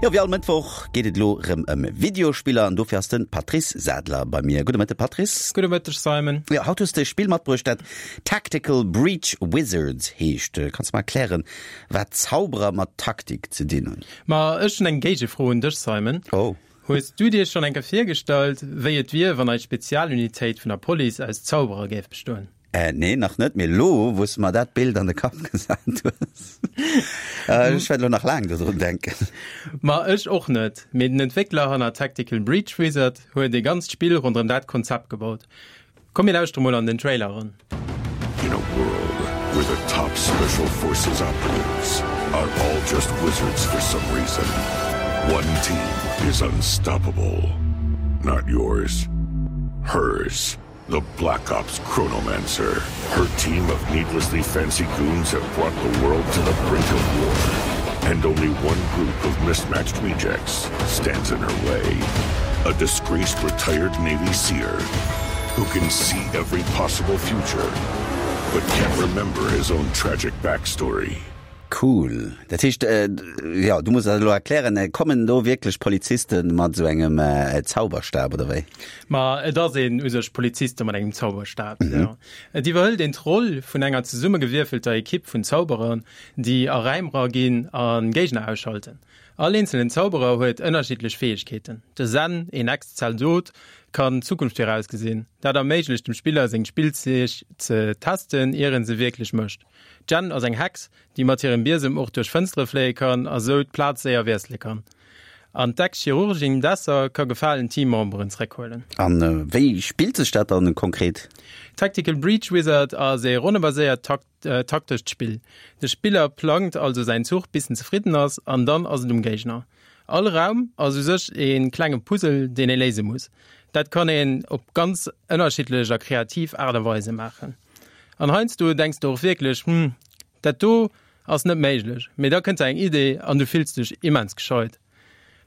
Jo, wéi all Mëttwoch geet et elo rëm ëm Videospiller an dofir ass de Patrice Sadler bei mir. Gudde Mëtte Patrice. Gudde Mëtteg Simon. Jo, haut hues de e Spill matbruecht, dat Tactical Breach Wizards heescht. Kanns de mer erklären, wat Zauberer mat Taktik ze dinn hunn? Ma ech hunn eng Géigefro un dech Simon. Oh. Hues du dir schonn eng Kéier virgestallt, wéi et wier, wann eis Spezialunitéit vun der Police aus Zauberer géif bestoen? Äh, nee, nach net, mee elo, wou s de mer dat Bild an de Kapp gesat hues, ech wäert elo nach laang dodrun denken. Ma ech och net, mee den Entwéckler hanner Tactical Breach Wizard huet e ganzt Spill ronderëm dat Konzept gebaut. Komm mir lauschtere mol an den Trailer eran. In a world where the top special forces operatives are all just wizards for some reason, one team is unstoppable. Not yours, hers. The Black Ops Chronomancer. Her team of needlessly fancy goons have brought the world to the brink of war. And only one group of mismatched rejects stands in her way. A disgraced retired Navy SEER who can see every possible future, but can't remember his own tragic backstory. Cool. Dat heescht, jo, du muss dat elo erklären, kommen do wierklech Poliziste mat esou engem Zauberstab oder wéi? Ma et ass een u sech Poliziste mat engem Zauberstab, jo. Et iwwerhëlt een d'Roll vun enger zesummegewierfelter Ekipp vun Zauberer, déi a Räim era ginn a Géigner ausschalten. All eenzelen Zauberer huet ënnerschiddlech Fäegkeeten. De Zen, een Ex-Zaldot, kann d'Zukunft virausgesinn. Dat erméiglecht dem Spiller seng Spillzeeg ze testen, ier en se wierklech mécht. D'Jenn ass eng Hex, déi mat hirem Biesem och duerch Fënstere fléie kann a sou d'Plaz séier wiessele kann. An d'Ex-Chirurgin Desser ka gefalen Teammemberen zeréckhuelen. A wéi spillt sech dat dann konkret? Tactical Breach Wizard ass ee ronnebaséiert taktescht Spill. De Spiller plangt also säin Zuch bis en zefridden ass an dann ass et um Géigner. All Raum ass u sech ee klenge Puzzle, deen ee léise muss. Dat kann een op ganz ënnerschiddlech a kreativ Aart a Weise maachen. An heiansdo denks de och wierklech, Hm, dat do ass net méiglech. Mee da kënnt der eng Idee an du fills dech immens gescheit.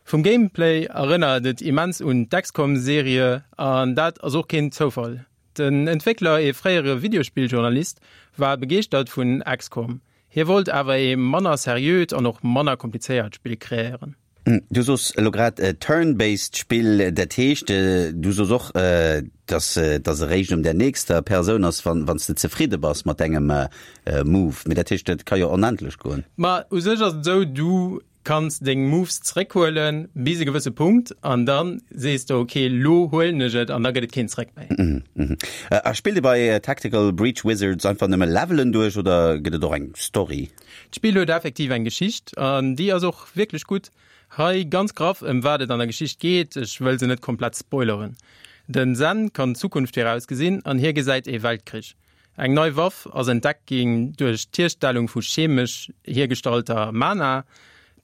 Vum Gameplay erënnert et immens un d'XCOM-Serie an dat ass och keen Zoufall. Den Entwéckler, ee fréiere Videospilljournalist, war begeeschtert vun XCOM. Hie wollt awer ee manner seriöt an och manner komplizéiert Spill kreéieren. Du sos elo grad turn-based Spill, dat heescht du sos och, dass dass eréischt un der nächster Persoun ass, wann wann s de zefridde bass mat dengem Move. Mee dat heescht, dat ka jo onendlech goen. Ma u sech ass et esou, du kanns deng Moves zeréckhuelen bis e gewësse Punkt an da sees de ok, lo huelen ech et an da gëtt et keen Zeréck méi. A spillt ee bei Tactical Breach Wizards einfach nëmme Levelen duerch oder gëtt et och eng Story? D'Spill huet effektiv eng Geschicht an déi ass och wierklech gutt. Hei ganz graff ëm wat et an der Geschicht geet, ech wëll se net komplett spoileren. Den Zen kann d'Zukunft virausgesinn an hie gesäit ee Weltkrich. Eng nei Waff ass entdeckt ginn duerch d'Hierstellung vu chemesch hiergestallter Mana,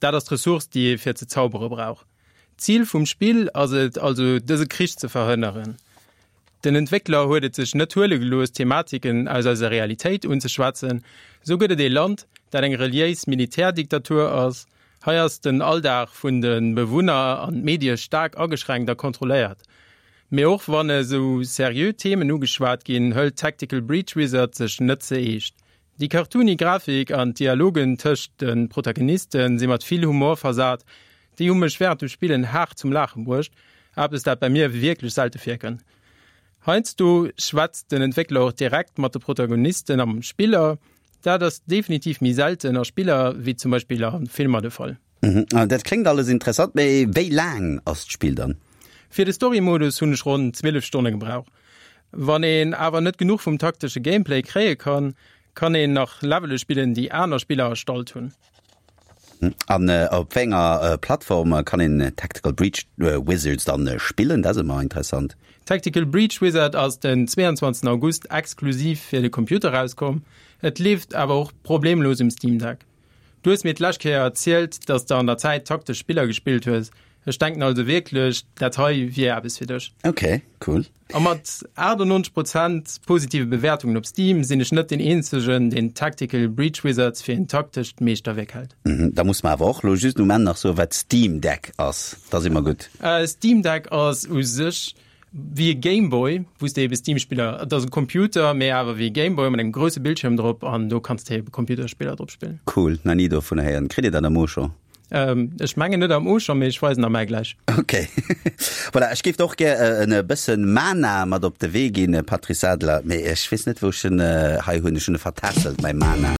dat ass d'Ressource déi ee fir ze zaubere brauch. D'Zil vum Spill ass et also dëse Krich ze verhënneren. Den Entwéckler huet et sech net huele gelooss, Thematiken aus eiser Realitéit unzeschwätzen. Esou gëtt et ee Land, dat eng reliéis Militärdiktatur ass. Hei ass den Alldag vun de Bewunner an d'Medie staark ageschränkt a kontrolléiert. Mee och wann esou seriö Themen ugeschwat ginn, hëlt Tactical Breach Wizard sech net ze eescht. Déi cartoony Grafik an d'Dialogen tëscht de Protagoniste si mat vill Humor versat. Déi hu mech wärend dem Spillen haart zum Laache bruecht, eppes dat bei mir wierklech selte virkënnt. Heiansdo schwätzt den Entwéckler och direkt mat de Protagonisten a mam Spiller. Dat ass definitiv méi selten a Spiller wéi zum Beispill a Filmer de Fall. Dat kléngt alles interessant, mee wéi laang ass d'Spill dann? Fir de Story-Modus hunn ech ronn 12 Stonne gebraucht. Wann een awer net genuch vum taktesche Gameplay kréie kann, kann een nach Levele spillen, déi aner Spiller erstallt hunn. An op wéi enger Plattform kann een Tactical Breach Wizards dann spillen? Dat ass ëmmer interessant. Tactical Breach Wizard ass den 22 August exklusiv fir de Computer erauskomm. Et leeft awer och problemlos um Steam Deck. Du hues mir d'lescht Kéier erzielt, dass de an der Zäit taktesch Spiller gespillt hues. Ech denken also wierklech, dat hei wier eppes fir dech. Ok, cool. A mat 98 Prozent positive Bewäertungen op Steam sinn ech net deen eenzegen, deen Tactical Breach Wizards fir een taktescht Meeschterwierk hält. Da muss mer awer och lo just um Enn nach soen, wat Steam Deck ass. Da si mer gutt. Steam Deck ass u sech wéi e Game Boy, wou s de ebe Steam-Spiller, et ass e Computer, mee awer wéi e Game Boy mat engem grousse Bildschierm drop an do kanns de ebe Computerspiller drop spillen. Cool, nach ni dovun héieren. Kritt ee dat am Auchan? Ech mengen net am Auchan, mee ech weisen der mäi gläich. Ok. Voilà, ech géif der och gär en bëssen Mana mat op de Wee ginn, Patrice Sadler, mee ech weess net wou ech en hei hunn. Ech hunn e vertässelt, mäi Mana.